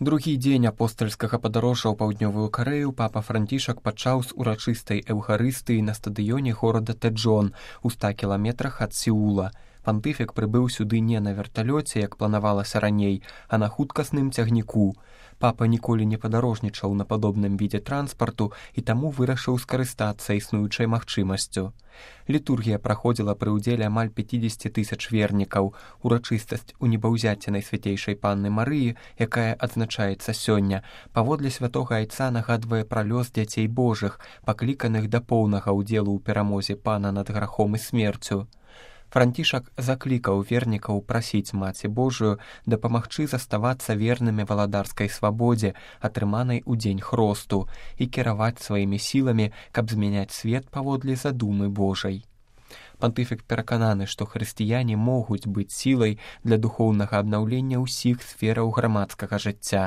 Другі дзень апостальскага падарожжа ў паўднёвую Карэю папа Францішак пачаў з урачыстай эўхарыстыі на стадыёне горада Тэджон у 100 кіламетрах ад Сеула. Пантыфік прыбыў сюды не на верталёце, як планавалася раней, а на хуткасным цягніку. Папа ніколі не падарожнічаў на падобным відзе транспарту і таму вырашыў скарыстацца існуючай магчымасцю. Літургія праходзіла пры ўдзеле амаль 50 000 вернікаў. Урачыстасць у небаўзяцці Найсвяцейшай Панны Марыі, якая адзначаецца сёння, паводле святога айца нагадвае пра лёс дзяцей Божых, пакліканых да поўнага ўдзелу ў перамозе Пана над грахом і смерцю. Францішак заклікаў вернікаў прасіць Маці Божую дапамагчы заставацца вернымі валадарскай свабодзе, атрыманай у дзень хросту, і кіраваць сваімі сіламі, каб змяняць свет паводле задумы Божай. Пантыфік перакананы, што хрысціяне могуць быць сілай для духоўнага абнаўлення ўсіх сфераў грамадскага жыцця.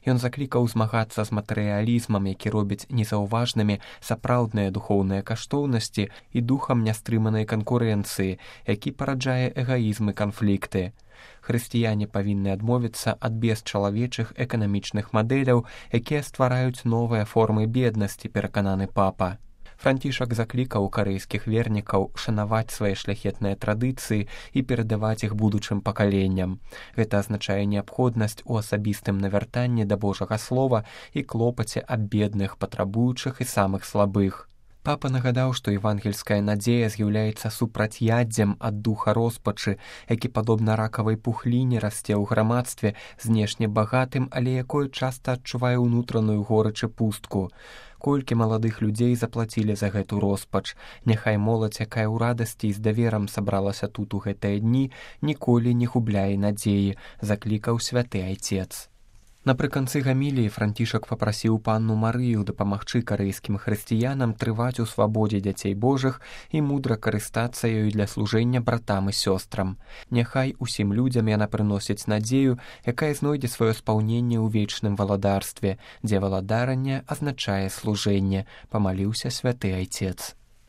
Ён заклікаў змагацца з матэрыялізмам, які робіць незаўважнымі сапраўдныя духоўныя каштоўнасці і духам нястрыманай канкурэнцыі, які параджае эгаізм і канфлікты. Хрысціяне павінны адмовіцца ад бесчалавечых эканамічных мадэляў, якія ствараюць новыя формы беднасці, перакананы папа. Францішак заклікаў карэйскіх вернікаў шанаваць свае шляхетныя традыцыі і перадаваць іх будучым пакаленням. Гэта азначае неабходнасць у асабістым навяртанні да Божага слова і клопаце аб бедных, патрабуючых і самых слабых. Папа нагадаў, што евангельская надзея з'яўляецца супрацьяддзем ад духа роспачы, які, падобна ракавай пухліне, расце ў грамадстве, знешне багатым, але якое часта адчувае ўнутраную горыч і пустку. Колькі маладых людзей заплацілі за гэту роспач. Няхай моладзь, якая ў радасці і з даверам сабралася тут у гэтыя дні, ніколі не губляе надзеі, заклікаў святы айцец. Напрыканцы гаміліі Францішак папрасіў Панну Марыю дапамагчы карэйскім хрысціянам трываць у свабодзе дзяцей Божых і мудра карыстацца ёй для служэння братам і сёстрам. Няхай усім людзям яна прыносіць надзею, якая знойдзе сваё спаўненне ў вечным валадарстве, дзе валадаранне азначае служэнне, памаліўся святы айцец.